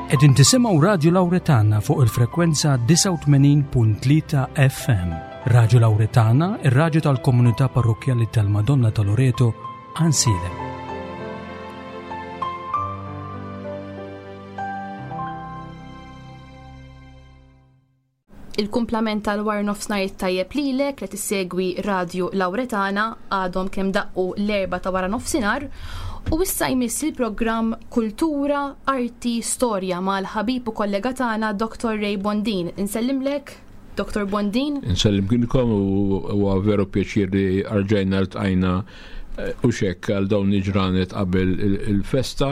Qegħdin tisimgħu Radju Lawretana fuq il-frekwenza 89.3 FM. Radju Lawretana, ir-radju tal-komunità parrokkjali tal-Madonna ta' Loreto, Għansielem. Il-kumplament tal-war nofsnar it-tajjeb lilek li tissegwi Radju Lawretana għadhom kemm daqqu l-erba ta' wara nofsinhar u issa jmiss il-programm Kultura, Arti, Storja mal-ħabib u kollega tagħna Dr. Ray Bondin. Insellimlek, Dr. Bondin. Insellimkom u huwa veru pjaċir li rġajna ltqajna U xek għal dawn il-ġranet qabel il-festa,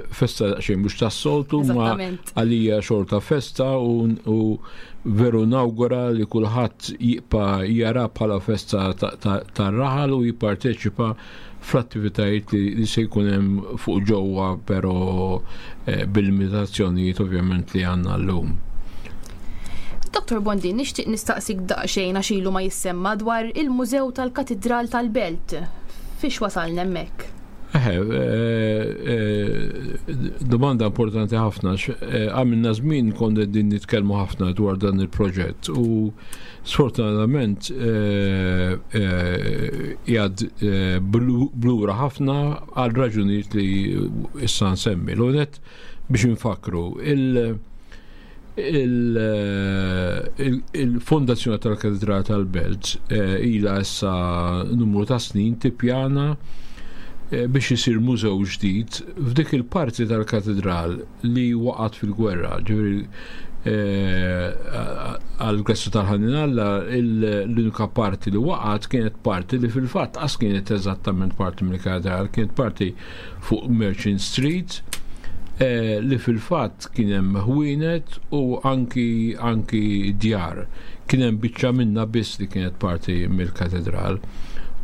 festa xejn mhux tas-soltu, ma għalija xorta festa u veru nawgura li kulħadd jibqa' jara bħala festa tar-raħal u jipparteċipa fl-attivitajiet li se jkun hemm fuq ġewwa però eh, bil-limitazzjonijiet ovvjament li għandna llum. Dr. Bondin, nixtieq nistaqsik daqsxejn għax ilu ma jissemma dwar il-Mużew tal-Katidral tal-Belt. Fiex wasalna hemmhekk? Eħe, eh, eh, domanda importanti ħafna. Eh, għamilna żmien konna din nitkellmu ħafna dwar dan il-proġett u sfortunatament jgħad blura ħafna għal raġunijiet li issa nsemmi. L-unet biex nfakru il- Il-Fondazzjoni tal-Katedral tal-Belt eh, ilha issa numru ta' snin tippjana eh, biex isir mużew ġdid f'dik il-parti tal-katedral li waqgħet fil-gwerra. Ġifieri eh, għal-Grestu tal-Ħanin Alla l-unika parti li waqgħet kienet parti li fil-fatt qas kienet eżattament parti mill-katedral, kienet parti fuq Merchant Street eh, li fil-fatt kien hemm ħwienet u anki anki djar. Kien hemm biċċa minna biss li kienet parti mill-katedral.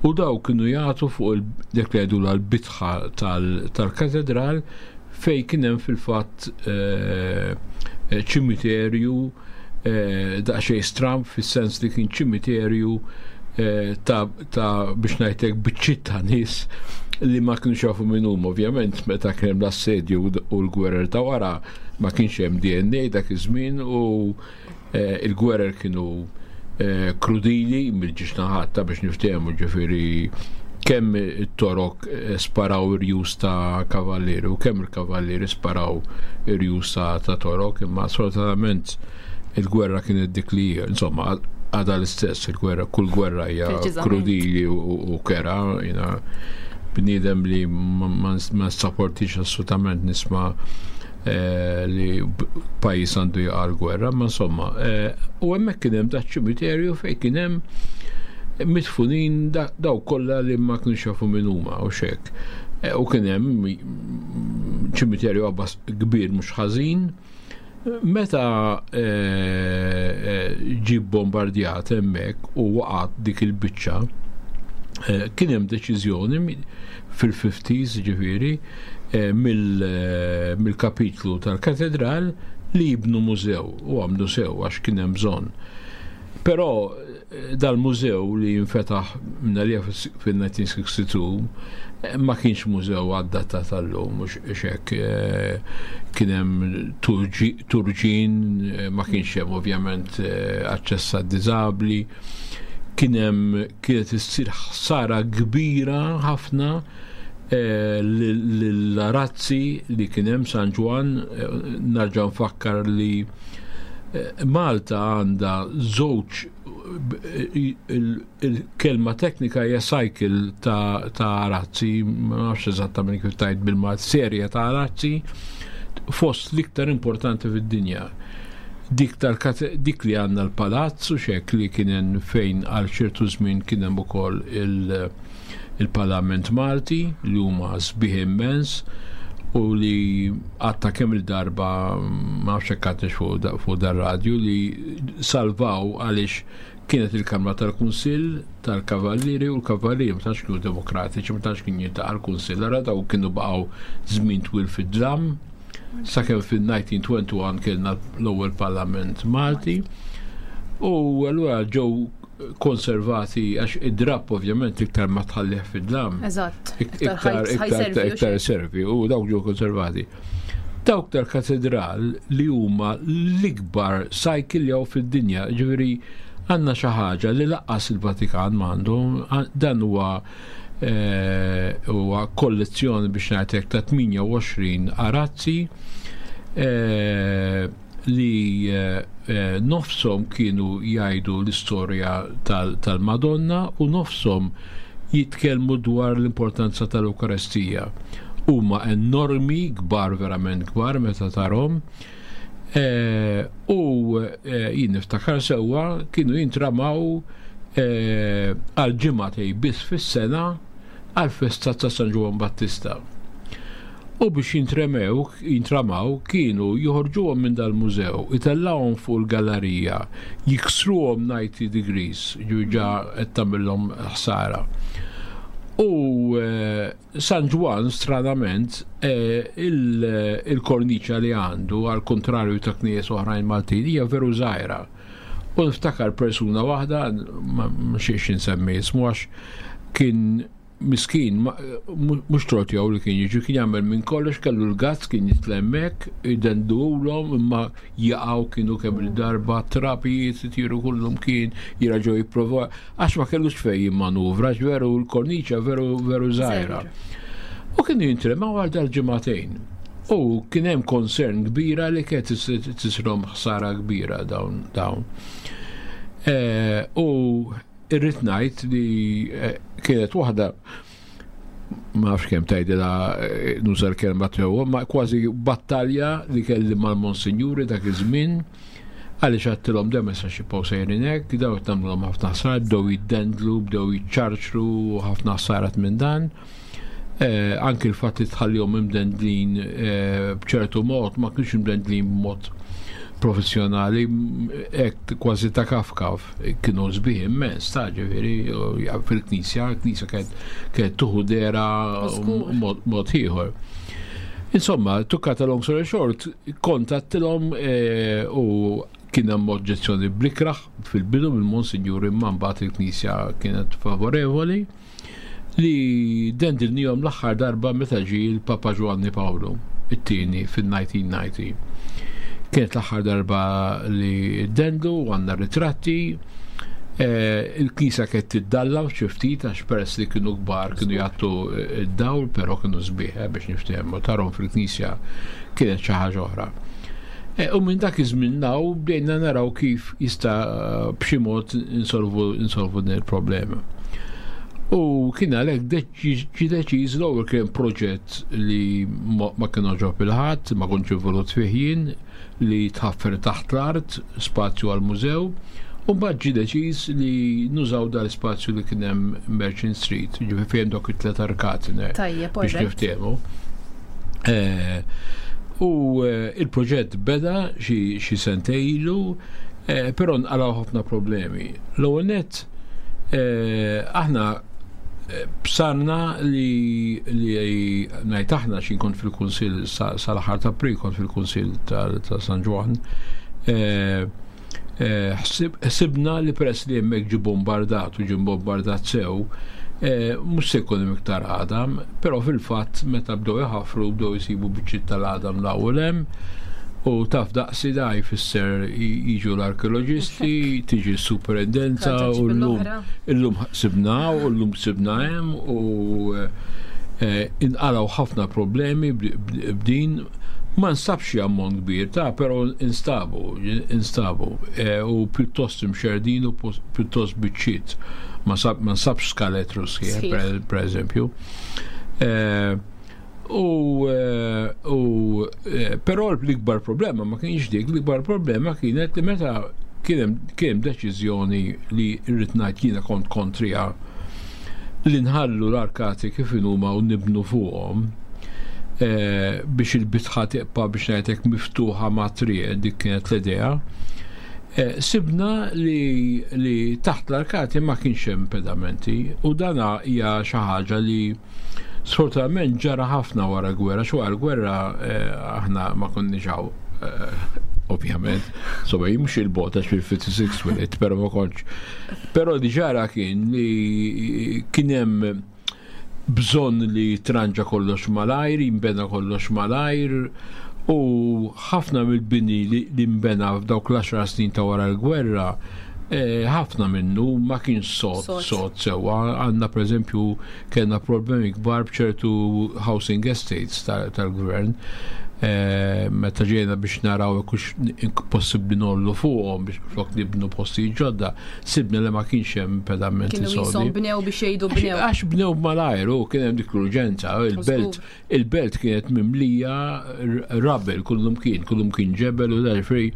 U daw kienu jagħtu fuq dik li jgħidu l-bitħa tal-katedral fej kien hemm fil-fatt eh, ċimiterju eh, daqsxejn stramb fis-sens li kien ċimiterju ta' ta' biex ngħidlek biċċiet ta' nies li ma kienux jafu min huma ovvjament meta kien hemm l-assedju u l-gwerer ta' wara ma kienx hemm DNA dak iż-żmien u eh, il-gwerer kienu eh, krudili mill-ġiex naħat ta' biex niftehmu ġifieri kemm it-torok eh, sparaw irjus ta' kavallieri u kemm il-kavallieri sparaw irjus ta' torok imma sfortunatament il-gwerra kienet dik li insomma, għadha l-istess il-gwerra, kull gwerra hija krudili u kera, jina bniedem li ma nsapportix assolutament nisma' eh, li pajjiż għandu jaqa' l-gwerra, ma insomma, eh, u hemmhekk kien hemm dak ċimiterju fejn kien hemm mitfunin daw kollha li ma kienux jafu min huma u xek. Eh, u kien hemm ċimiterju abbas kbir mhux ħażin, Meta ġie bombardjat hemmhekk u waqgħet dik il-biċċa, kien hemm deċiżjoni fil-50s ġifieri mill-kapitlu tal-katedral li jibnu mużew u għamlu sew għax kien hemm bżonn. Però Dal-mużew li nfetaħ minnalija fil-1962 ma kienx mużew adattat għallum, mhux hekk eh, kien hemm turġin, eh, ma kienx hemm ovvjament eh, aċċess għad-diżabbli, kien hemm kienet issir ħsara kbira ħafna l-arazzi li kien hemm San Ġwann, narġa' nfakkar li Malta għandha żewġ il-kelma teknika hija cycle ta' arazzi, ma nafx eżattament kif tajt bil-Malt, serje ta' arazzi fost l-iktar importanti fid-dinja. Dik dik li għandna l-palazz u xek li kien fejn għal ċertu żmien kien hemm ukoll il- il-Parlament Malti li huma sbieħ immens u li għatta kemm il-darba ma nafx hekk għadtex fuq dar-radju li salvaw għaliex kienet il-Kamra tal-Kunsill tal-Kavallieri u l-Kavallieri ma tantx kienu demokratiċi, ma tantx kien jiltaqa' l-Kunsill, ara daw kienu baqgħu żmien twil fid-dlam sakemm fil-1921 kellna l-ewwel Parlament Malti u allura ġew konservati għax id-drapp ovvjament iktar ma tħallih fid-dlam. Eżatt. Iktar iktar servi u dawk ġew konservati. Dawk tal-katedral li huma l-ikbar cycle li hawn fid-dinja, ġifieri għandna xi ħaġa li laqqas il-Vatikan m'għandu, dan huwa eh, huwa kollezzjoni biex ngħidlek ta' 28 arazzi eh, li eh, nofshom kienu jgħidu l-istorja tal-Madonna u nofshom jitkellmu dwar l-importanza tal-Ewkaristija. Huma enormi, kbar verament kbar meta tarhom. Eh, u eh, jien niftakar sewwa kienu jintramaw għal ġimgħatej biss fis-sena għal festa ta' San Ġwann Battista. U biex jintremew, jintramaw, kienu joħorġuhom minn dal-mużew, itellgħuhom fuq il-gallerija, jiksruhom 90 degrees, ġa qed tagħmilhom ħsara. U eh, San Ġwann stranament eh, il-korniċa li għandu għal kontrarju ta' knejjes oħrajn Maltin hija veru żgħira. U niftakar persuna waħda, ma xiex insemmi ismu għax kien miskin, mhux tort jew li kien jiġi, kien jagħmel minn kollox, kellu l-gazz kien jitlemmek, jidendulhom imma jaqgħu kienu kemm il-darba trabijiet itiru kullum kien jiraġgħu jipprova għax ma kellux fejn jimmanuvra, għax veru l-korniċa veru veru żgħira. U kienu jintremaw għal dal-ġimagħtejn. U kien hemm concern kbira li kienet tisrom ħsara kbira dawn dawn. Eh, u Irrid ngħid li eh, kienet waħda ma nafx kemm tgħidilha eh, nuża l-kelma tiegħu, ma kważi battalja li kelli mal-Monsinjuri dak iż-żmien għaliex għattilhom dem issa xi sejrin hekk, daw qed nagħmluhom ħafna ħsar, bdew jiddendlu, bdew jiċċarċru ħafna ħsarat minn dan. Eh, anki l-fatt li tħallihom imdendlin eh, b'ċertu mod, ma kienx imdendlin b'mod professjonali, hekk kważi ta' kafkaf, kienu sbieħ immens, ta' ġifieri fil-knisja, l-knisja kienet tuħu dera mod ieħor. Insomma, tukkata long story short, kontattilhom eh, u kien hemm oġġezzjoni blikraħ fil-bidu mill-Monsinjur imma mbagħad il-knisja kienet favorevoli. li dendilnihom l-aħħar darba meta ġie l-Papa Ġwanni Pawlu it-tieni fin-1990. Kienet l-aħħar darba li dendlu u għandna ritratti. Eh, il-knisja kienet tiddalla xi ftit għax peress li kienu kbar kienu jagħtu id-dawl, però kienu sbieħ eh, biex niftehmu tarhom fil-knisja kienet xi ħaġa oħra. Eh, u minn dak iż-żmien naw bdejna naraw kif jista' b'xi mod insolvu insolvu din il-problema. U kien għalhekk ġie deċiż l-ewwel kien proġett li ma kien oġob il-ħadd, ma kontx involut fih jien, li tħaffer taħt l-art spazju għal mużew, u mbagħad ġie deċiż li nużaw dal-ispazju li kien hemm Merchant Street, ġifieri fejn dok it-tlet arkati biex niftehmu. Eh, u eh, il-proġett beda xi sentej ilu, eh, però nqalgħu ħafna problemi. L-ewwel nett aħna bsarna li li ngħid aħna xi kont fil-Kunsill sal-aħħar ta' April kont fil-Kunsill ta' San Ġwann. Ħsibna li peress li hemmhekk ġie bombardat u ġie bombardat sew, mhux se jkun hemm iktar għadam, però fil-fatt meta bdew iħaffru bdew isibu biċċiet tal-għadam l-ewwel hemm u taf daqsi da jfisser jiġu l-arkeoloġisti, tiġi s-superintendenza u llum illum sibna u llum sibna hemm u eh, inqalgħu ħafna problemi b'din ma nstabx xi ammont kbir ta' però instabu, instabu eh, u pjuttost imxerdin u pjuttost biċċiet. Ma nsabx skaletru sħiħ, per eżempju. Eh, U, eh, u eh, però l-ikbar problema ma kienx dik, l-ikbar problema kienet li meta kien hemm deċiżjoni li rrid ngħid jiena kont kontrija li nħallu l-arkati kif huma u nibnu fuqhom eh, biex il-bitħa tibqa' biex ngħidlek miftuħa ma' triq dik kienet l-idea. Sibna li, li taħt l-arkati ma kienx hemm pedamenti u dana hija xi ħaġa li Sfortunatament ġara ħafna wara gwerra, xo wara gwerra eh, aħna ma konniex hawn eh, ovvjament, so mhux il-bota fil-56 wilit, pero ma kontx. Pero li ġara kien li kien hemm bżonn li tranġa kollox malajr, jimbena kollox malajr, U ħafna mill-bini li nbena f'dawk l-10 snin ta' wara l-gwerra, ħafna minnu ma kienx sod sod sewwa. Għandna pereżempju kellna problemi kbar b'ċertu housing estates tal-gvern. Meta ġejna biex naraw jekk hux possibbli ngħollu fuqhom biex flok nibnu postijiet ġodda, sibna li ma kienx hemm pedamenti Kienu sodi. qishom bnew biex jgħidu bnew. Għax bnew malajr u kien hemm dik l-urġenza, il-belt il-belt kienet mimlija rubble kullum kien, kullum kien ġebel u da ġifieri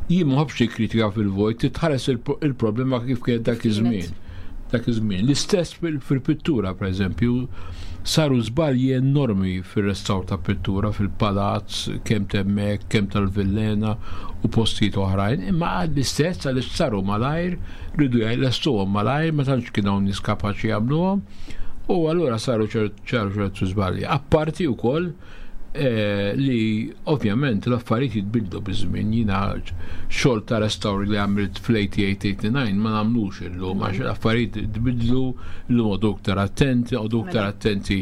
jien ma nħobbx kritika fil-vojt, titħares il-problema kif kienet dak iż-żmien. Dak iż-żmien. L-istess fil-pittura, pereżempju, saru żbalji enormi fir-restawr ta' pittura fil-palazz, kemm t'hemmhekk, kemm tal-Villena u postijiet oħrajn, imma l-istess għaliex saru malajr, riedu jlestuhom malajr, ma tantx kien hawn nies kapaċi jagħmluhom, u allura saru ċertu żbalji. Apparti wkoll li ovvjament l-affarijiet jitbidlu biż-żmien. Jiena xogħol ta' restawr li għamilt fl-88-89 ma nagħmlux illum għax l-affarijiet tbidlu, illum għodu iktar attenti, għodu iktar attenti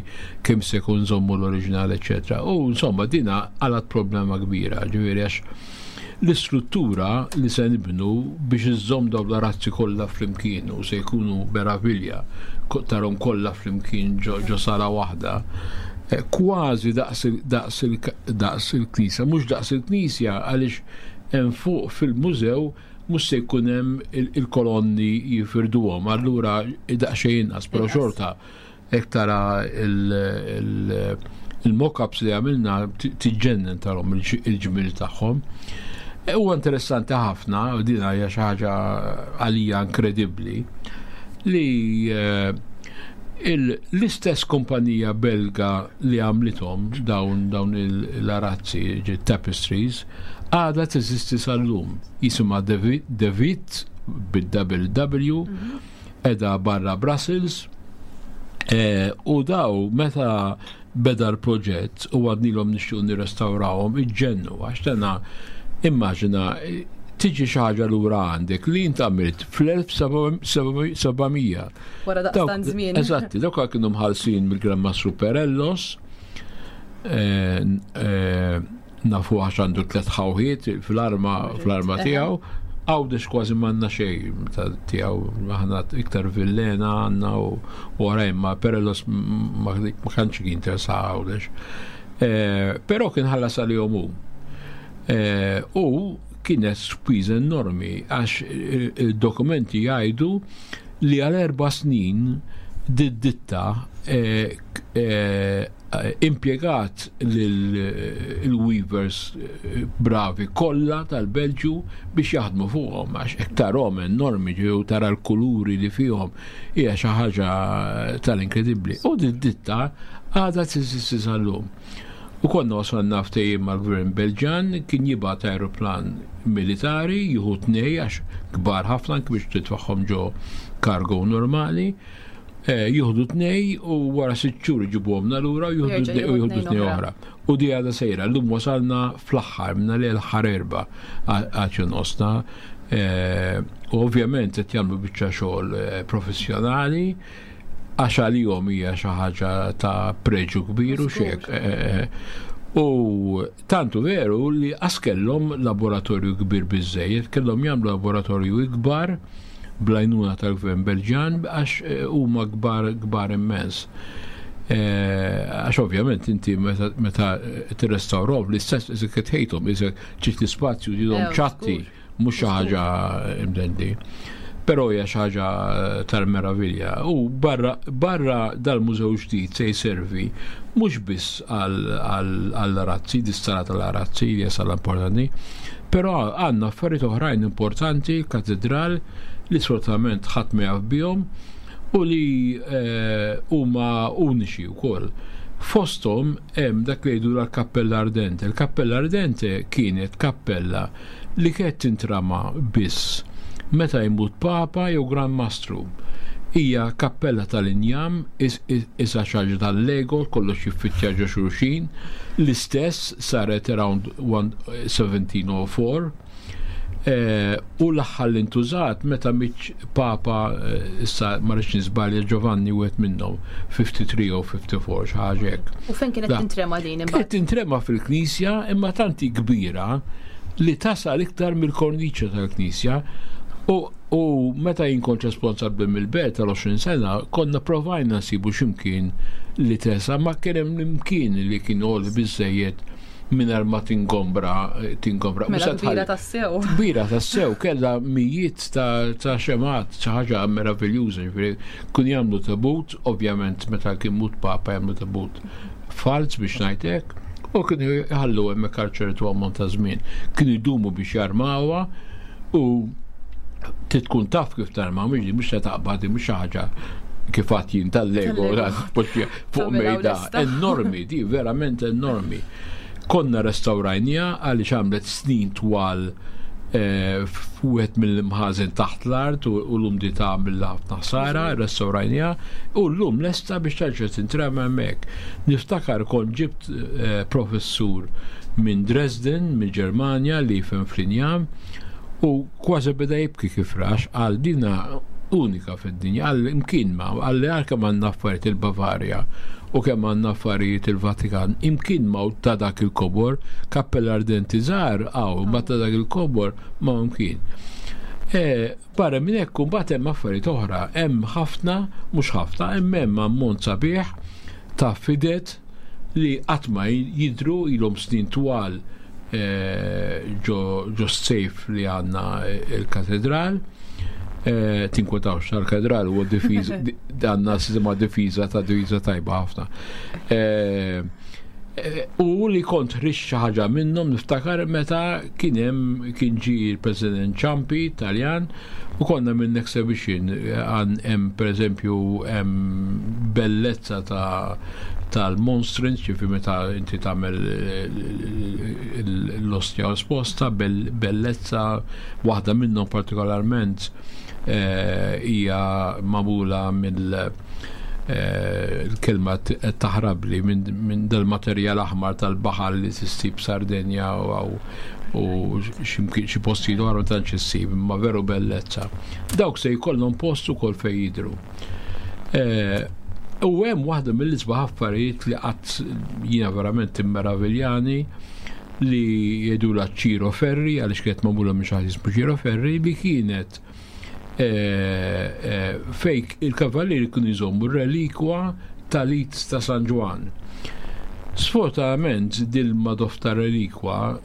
kemm se jkun żommu l-oriġinal, eċetera. U insomma dina għalat problema kbira, ġifieri għax l-istruttura li se nibnu biex iżżomm dawn l-arazzi kollha flimkien u se jkunu meravilja tarhom kollha flimkien ġo sala waħda, kważi daqs il-knisja, mhux daqs il-knisja għaliex hemm fuq fil-mużew mhux se jkun hemm il-kolonni jifirduhom, allura daqsxejn inqas, però xorta hekk tara il-mock-ups li għamilna tiġġennen tarhom il-ġmiel tagħhom. Huwa interessanti ħafna, u din hija xi ħaġa għalija inkredibbli, li l-istess kumpanija Belga li għamlithom dawn l-arazzi, tapestries, għadha teżisti sal-lum. Jisimha De Witt bid-double W, edha barra Brussels, u daw meta beda l-proġett u għadnilhom nixtiequ nirrestawrawhom iġġennu għax tena immaġina tiġi xi ħaġa lura għandek li int għamilt fl-1700. Wara daqstant żmien. Eżatti, dawk kienu mħallsin mill-Gran Mastru Perellos, nafu għax għandu 3 ħawħiet fl-arma tiegħu. Għawdex kważi m'għandna xejn tiegħu, aħna iktar Villena għandna u oħrajn, ma Perellos ma kantx kien interessa Għawdex. Però kien ħallas għalihom hu. U kienet spiża enormi għax il-dokumenti jgħidu li għal 4 snin d-ditta impjegat il-weavers bravi kollha tal-Belġju biex jaħdmu fuqhom għax hekk tarhom enormi ġew tara l-kuluri li fihom hija xi ħaġa tal-inkredibbli. U d-ditta għadha teżisti sal-lum. U konna wasalna ftehim mal-Gvern Belġan kien jibgħat aeroplan militari jieħu 2 għax kbar ħafna anke biex titfaħħom ġo cargo normali. Jieħdu 2 u wara 6 xhur iġibuhomna lura u jieħdu Jerġa' 2 u jieħdu jieħdu tnejn 2 oħra. oħra. U di għadha sejra, llum wasalna fl-aħħar, minna li l-aħħar 4 għad jonqosna. U ovvjament qed jagħmlu biċċa xogħol professjonali għax għalihom hija xi ħaġa ta' preġu kbir u xek. U tantu veru li qas kellhom laboratorju kbir biżżejjed, kellhom jagħmlu laboratorju ikbar bl-għajnuna tal-Gvern Belġjan għax huma kbar, kbar immens. Għax ovvjament inti meta tirrestawrhom l-istess isek tħejthom, isek ċitt l-ispazju ġidhom ċatti, mhux xi ħaġa imdendi. Però hija xi ħaġa tal-meravilja. U barra dal-mużew ġdid se jservi mhux biss għall-arazzi, dis-sala tal-arazzi li hija sala importanti, però għandna affarijiet oħrajn importanti, katedral li sfortunatament ħadd ma jaf bihom u li huma uniċi wkoll. Fosthom hemm dak li jgħidu l-Kappella Ardente. Il-Kappella Ardente kienet kappella li kienet tintrama biss meta jmut Papa jew Gran Mastru. Hija kappella tal-injam, isa xi ħaġa tal-Lego, kollox jiffittja ġo xulxin. L-istess saret around 1704. Eh, u l-aħħar li ntużat meta miċ Papa eh, issa ma rridx niżbalja Giovanni wieħed minnhom 53 jew 54 xi ħaġa hekk. U fejn kienet tintrema din imbagħad? Kienet tintrema fil-knisja imma tanti kbira li tasal iktar mill-korniċa tal-knisja u U meta jien kont responsabbli mill-belt tal-20 sena, konna provajna nsibu x'imkien li tesa, ma kien hemm imkien li kien għoli biżejjed mingħajr ma tingombra tingombra. Mela kbira tassew. Kbira tassew, kellha mijiet ta' xemat, xi ħaġa meraviljuża, ġifieri kun jagħmlu tabut, ovvjament meta kien mut papa jagħmlu tabut falz biex ngħid hekk, u kienu jħallu hemmhekk għal ċertu ammont ta' żmien. Kienu jdumu biex jarmawha u tkun taf kif tarma, mhux mhux se taqbad, mhux xi ħaġa kif għad jien tal-Lego fuq mejda. Enormi, di verament enormi. Konna restawrajnija għaliex għamlet snin twal eh, f'wieħed mill-imħażen taħt l-art u l-umdità mill ħafna ħsara, restawrajnija u llum lesta biex terġa' tintrema hemmhekk. Niftakar kont ġibt eh, professur minn Dresden, mill-Ġermanja li jifhem fl-injam U kważi beda jibki kif rax, qal dina unika fid-dinja, qal imkien ma, qal li għal kemm għandna affarijiet il-Bavarja u kemm għandna affarijiet il-Vatikan, imkien ma ta' dak il-kobor, kappella ardenti żgħar hawn, ma ta' dak il-kobor ma mkien. E, barra minn hekk imbagħad hemm affarijiet oħra, hemm ħafna, mhux ħafna, hemm hemm ammont sabiħ ta' fidet li qatt ma jidhru ilhom snin twal ġo s-sejf li għandna il-katedral. Tinkwetawx tal-katedral huwa difiża għandna sistema difiża ta' difiża tajba ħafna. U li kont ħriġt xi ħaġa minnhom niftakar meta kien hemm kien ġie l-President Ciampi Taljan u konna minn exhibition għan hemm pereżempju hemm bellezza ta' tal-monstrance, ġifi meta inti tagħmel l-ostja esposta, bellezza waħda minnhom partikolarment eh, hija magħmula mill eh, l-kelma taħrabli minn dal-materjal aħmar tal-baħar li tissib Sardenja u xi postijiet oħra ma tantx issib, imma veru bellezza. Dawk se jkollhom post ukoll fejn jidhru. Eh, u hemm waħda mill-isbaħ affarijiet li qatt jiena verament immeraviljani li jgħidula Ciro Ferri għaliex kienet magħmula minn xi ħadd jismu Ciro Ferri li kienet eh, eh, fejk il-kavallieri kienu jżommu relikwa tal-it ta' San Ġwann. Sfortunatament dil-madof ta' relikwa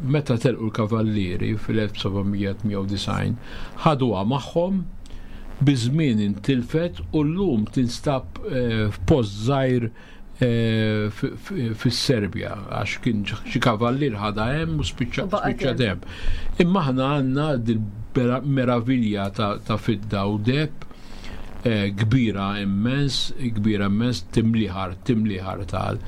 meta telqu l-kavallieri fil-1798 ħaduha magħhom Biż-żmien intilfet u llum tinstab f'post żgħir fis-Serbja għax kien xi kavallier ħadha hemm u spiċċat hemm. Imma aħna għandna dil-meravilja ta' fidda u deheb kbira immens, kbira immens timliħar, timliħar tal.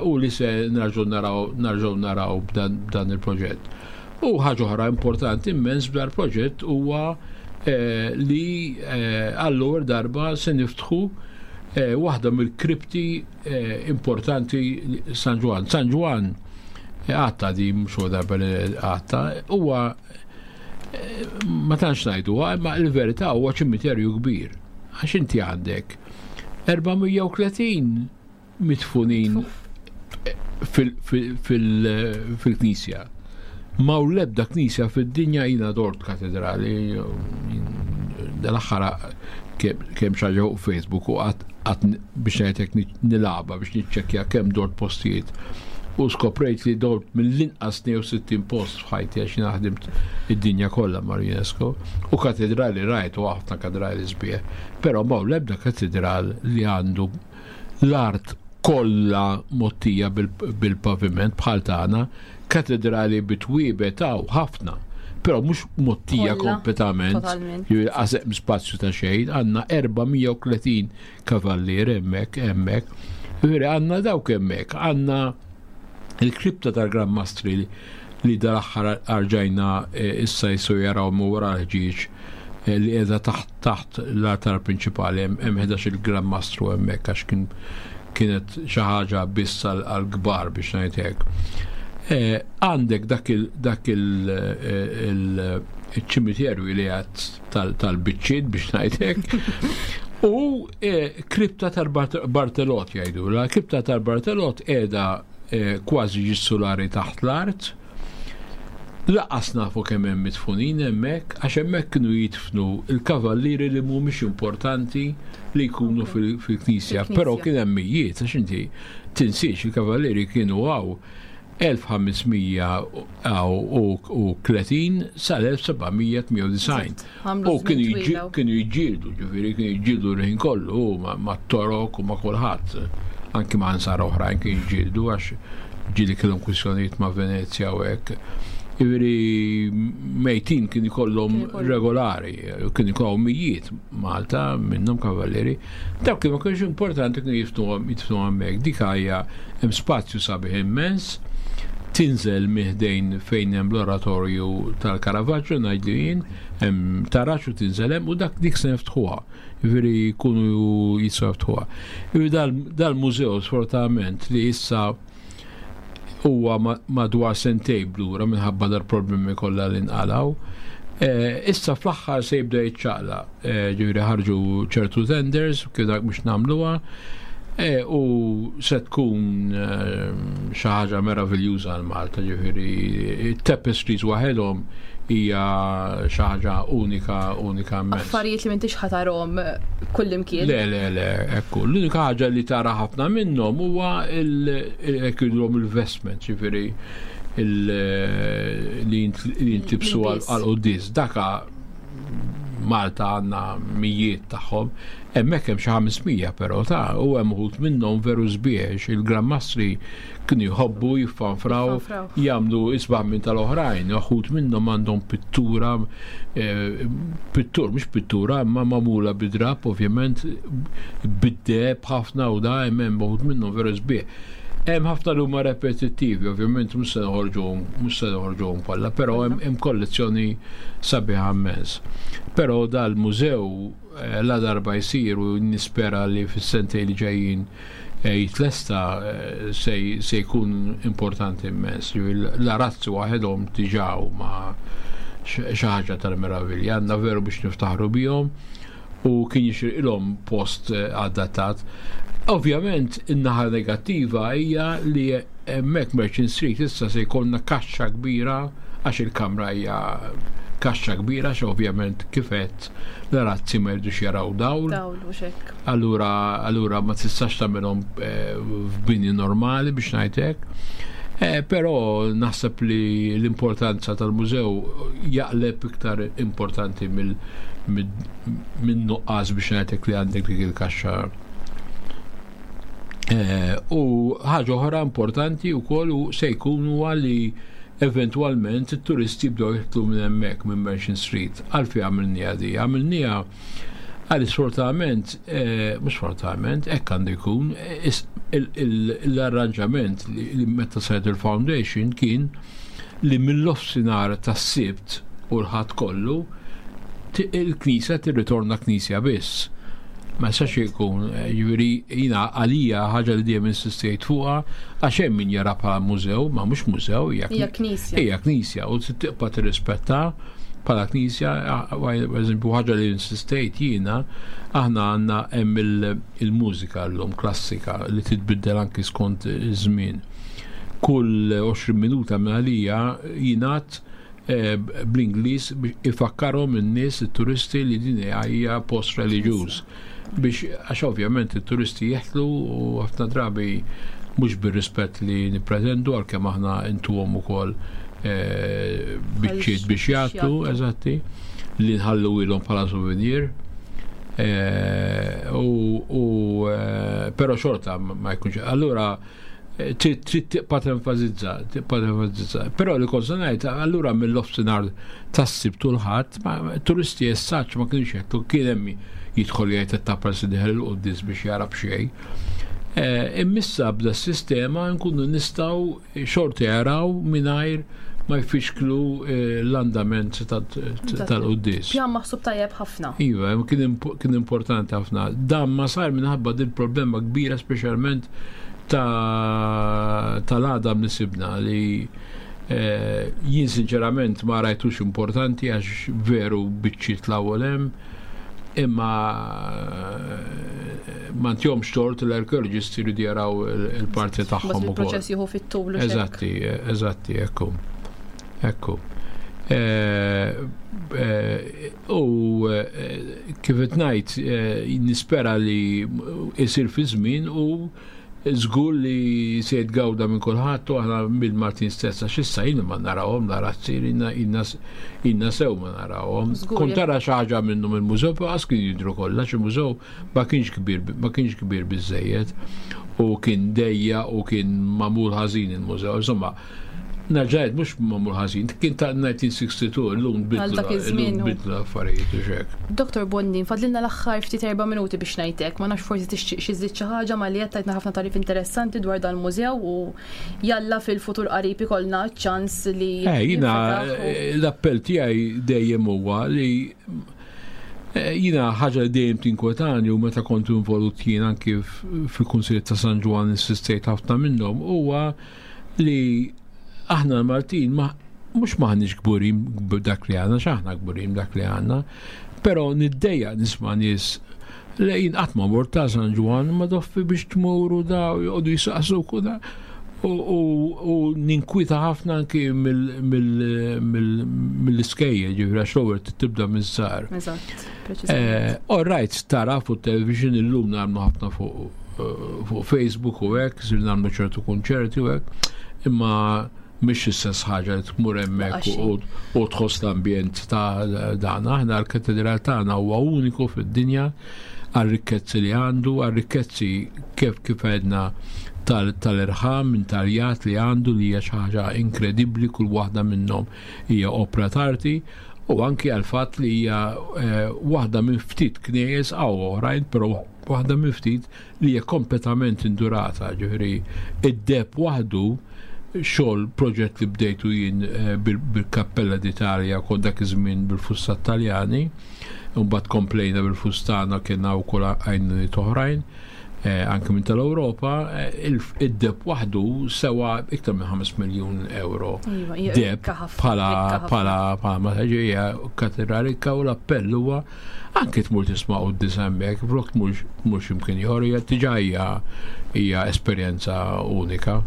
U li se nerġgħu naraw nerġgħu naraw b'dan il-proġett. U ħaġa oħra importanti immens b'dar proġett huwa eh, li eh, għall-ewwel darba se niftħu eh, waħda mill-kripti importanti San Ġwann. San Ġwann għatta di mhux darba li għatta huwa ma tantx ngħidu, imma l-verità huwa ċimiterju kbir. Għax inti għandek 430 midfunin fil-knisja. Ma u l-ebda knisja fid-dinja jina dort katedrali, dal-aħħar kemm xaġa fuq Facebook u għat biex ngħidlek nilagħba biex niċċekkja kemm dort postijiet. U skoprejt li dort mill-inqas 62 post f'ħajti għax jiena ħdimt id-dinja kollha mal-UNESCO u katedrali rajt u ħafna katedrali sbieħ, però ma l-ebda katedral li għandu l-art kollha mgħottija bil-paviment bħal tagħna, katedrali bi twiebet hawn ħafna, però mhux mgħottija kompletament, qas hemm spazju ta' xejn, għandna 430 kavallier hemmhekk, hemmhekk. Jiġifieri għandna dawk hemmhekk, għandna il-kripta tal-Gran Mastri li dal-aħħar arġajna eh, issa jisu jaraw mu wara l-ħġieġ eh, li qiegħda taħt taħt l-artar prinċipali hemm 11 il-Gran Mastru hemmhekk għax kien kienet xi ħaġa biss għall-kbar biex ngħid hekk. Għandek dak il-ċimiterju li għad tal-biċċiet biex ngħidlek. U kripta tal-Bartelot jgħidu. La kripta tal-Bartelot qiegħda kważi ġis-sulari taħt l-art. Lanqas nafu kemm hemm midfunin hemmhekk, għax hemmhekk kienu jidfnu l-kavallieri li mhumiex importanti li jkunu fil-knisja, però kien hemm mijiet, għax inti tinsiex il-kavallieri kienu hawn 1530 sal-1798. U kienu jiġġieldu, ġifieri kienu jiġġieldu l-ħin kollu mat-Torok u ma' kulħadd. Anki ma' ansar oħrajn kienu jiġġieldu għax ġieli kellhom kwistjonijiet ma' Venezja u hekk. Ġifieri mejtin kien ikollhom regolari, kien ikollhom mijiet Malta minnhom kavallieri. Dawk li ma kienx importanti kienu jidfnu hemmhekk. Dik hija hemm spazju sabiħ immens tinżel minn ħdejn fejn hemm l-oratorju tal-Caravaggio ngħidlu jien, hemm taraġ u tinżel hemm u dak dik se niftħuha. Jiġifieri jkunu jistgħu jiftħuha. Jiġifieri dal-mużew sfortunatament li issa huwa madwar sentejn blura minħabba dal-problemi kollha li nqalgħu. Issa fl-aħħar se jibda jiċċaqla, ġifieri ħarġu ċertu tenders kif dak biex nagħmluha u se tkun xi ħaġa meraviljuża għal Malta, ġifieri tapestries waħedhom hija xi ħaġa unika unika immens. Affarijiet li m'intix ħa tarahom kullimkien. Le, le, le, ekku. L-unika ħaġa li tara ħafna minnhom huwa hekk jgħidulhom il-vestment, ġifieri li jintlibsu għal quddies. Daka Malta għandna mijiet tagħhom, hemmhekk hemm xi 500 però ta' u hemm uħud minnhom veru sbiex il-Gran Mastri kienu jħobbu jiffanfraw jagħmlu isbaħ minn tal-oħrajn, uħud minnhom għandhom pittura pittur, mhux pittura, imma magħmula bid-drap, ovvjament bid-deheb ħafna u da hemm uħud minnhom veru sbieħ. Hemm ħafna li huma repetittivi, ovvjament mhux se noħorġuhom, mhux se noħorġuhom kollha, però hemm kollezzjoni sabiħa immens. Però dal-mużew la darba jsir u nispera li fis-sentejn li ġejjin jitlesta se jkun importanti immens. L-arazzi waħedhom diġà huma xi ħaġa tal-meravilja, għandna veru biex niftaħru bihom u kien jixirqilhom post adattat. Ovvjament, in-naħa negattiva hija li hemmhekk Merchant Street issa se jkollna kaxxa kbira għax il-kamra hija kaxxa kbira għax ovvjament kif għedt l-arazzi ma jridux jaraw dawl. Dawl u xek. Allura ma tistax tagħmilhom f'bini normali biex ngħidlek. Però naħseb li l-importanza tal-mużew jaqleb iktar importanti minn nuqqas biex ngħidlek li għandek dik il-kaxxa. U ħaġa oħra importanti wkoll u se jkun huwa li eventwalment it-turisti jibdew jidħlu minn hemmhekk minn Merchant Street. Għalfejn għamilniha di? Għamilniha għal sfortunatament, mhux sfortunatament, hekk għandu jkun, l-arranġament li meta saret il-foundation kien li mill-nofsinhar tas-Sibt u l-Ħadd kollu il-knisja tirritorna knisja biss. Ma jistax ikun, ġifieri jiena għalija ħaġa li dejjem insistejt fuqha għax hemm min jara bħala mużew, ma mhux mużew, hija knisja. Hija knisja u tibqa' tirrispetta bħala knisja, eżempju ħaġa li insistejt jiena, aħna għandna hemm il-mużika llum klassika li titbiddel anki skont iż-żmien. Kull 20 minuta minn għalija jingħad bl-Ingliż biex ifakkarhom in-nies it-turisti li din hija post reliġjuż. Biex għax ovvjament it-turisti jeħlu u ħafna drabi mhux bir-rispett li nippretendu għalkemm aħna intuhom ukoll biċċiet biex jagħtu, eżatti, li nħallu ilhom bħala souvenir. U però xorta ma jkunx. Allura trid tibqa' tenfasizza, tibqa' tenfasizza. Però li kont se ngħid, allura mill-nofsinhar tas-Sibt u l-Ħadd, turisti essaċ ma kienx jgħidu kien hemm jidħol jgħid ta' si dieħel il-quddies biex jara b'xejn. Immissa bda s-sistema nkunu nistgħu xorta jaraw mingħajr ma jfixklu l-andament tal-quddies. Pjan maħsub tajjeb ħafna. Iva, kien importanti ħafna. Dan ma sar minħabba din problema kbira speċjalment. tal-għadam li sibna li eh, jien sinċerament ma rajtux importanti għax veru biċċiet l-ewwel hemm imma eh, ma ntihomx tort l-arkeoloġisti jridu jaraw il-parti tagħhom ukoll. Il-proċess jieħu fit-tul. Eżatti, eżatti, ekku. Ekku. Eh, eh, u kif qed ngħid nispera li isir fi żmien u Żgur li se jitgawda minn kulħadd u aħna mill-Maltin stess għax issa jien ma narawhom l-arazzi ilna sew ma narawhom. Kont tara xi ħaġa minnhom il-mużew però qas kien jidhru kollha għax il-mużew ma kienx kbir ma kienx kbir biżżejjed u kien dejjaq u kien magħmul ħażin il-mużew. Insomma, Nerġa' ngħid mhux magħmul ħażin, kien ta' 1962 illum bidlu illum bidlu l-affarijiet u x'hekk. Dottor Bondin, fadlilna l-aħħar ftit erba' minuti biex ngħidlek, ma nafx forsi tixtieq xi żżid xi ħaġa malli għedt tajtna ħafna tagħrif interessanti dwar dan il-mużew u jalla fil-futur qarib ikollna ċ-ċans li Eh, jiena l-appell tiegħi dejjem huwa li eh, jiena ħaġa li dejjem tinkwetani u meta kont involut jien anki fil-Kunsilli ta' San Ġwann insistejt ħafna minnhom huwa li aħna l-Maltin ma mhux maħniex kburin b'dak li għandna, x'aħna kburin b'dak li għandna, però niddejjaq nisma' nies li jien qatt ma mort ta' San Ġwann ma doffi biex tmuru da u joqogħdu jisaqsuk u da. U ninkwita ħafna anki mill-iskejjel, ġifieri għax l-ewwel tibda miż-żgħar. Eżatt, preċiżament. All right, tara fuq television illum nagħmlu ħafna fuq fuq Facebook u hekk, sir nagħmlu ċertu kunċerti u hekk, imma mhix l-istess ħaġa li tmur hemmhekk u tħoss l-ambjent ta' dan. Aħna l-katedral tagħna huwa uniku fid-dinja għar-rikkezzi li għandu, għar-rikkezzi kif kif għedna tal-irħam intaljat li għandu li hija xi ħaġa inkredibbli kull waħda minnhom hija opra t'arti u anki għal fatt li hija eh, waħda minn ftit knejjes għaw oħrajn, però Waħda minn ftit li hija kompletament indurata, ġifieri id-deheb waħdu xogħol proġett li bdejtu jien eh, bil-Kappella d'Italja kont dak iż-żmien bil-fusta Taljani, u mbagħad komplejna bil-fustana kienna wkoll għajnuniet oħrajn eh, anke minn tal-Ewropa, eh, id-deb waħdu sewa iktar minn 5 miljun euro. Iva, Deb bħala bħala bħala ma hija katedrali u l-appell huwa Anki tmur tisma' quddies hemmhekk, flok tmur tmur x'imkien ieħor hija diġà hija hija esperjenza unika.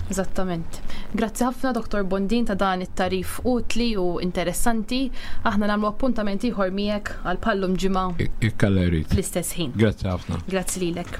Eżattament. Grazzi ħafna Dr. Bondin ta' dan it-tagħrif utli u interessanti. Aħna nagħmlu appuntament ieħor miegħek għal bħallum ġimgħa. Jekk Alla jrid. Fl-istess ħin. Grazzi ħafna. Grazzi lilek.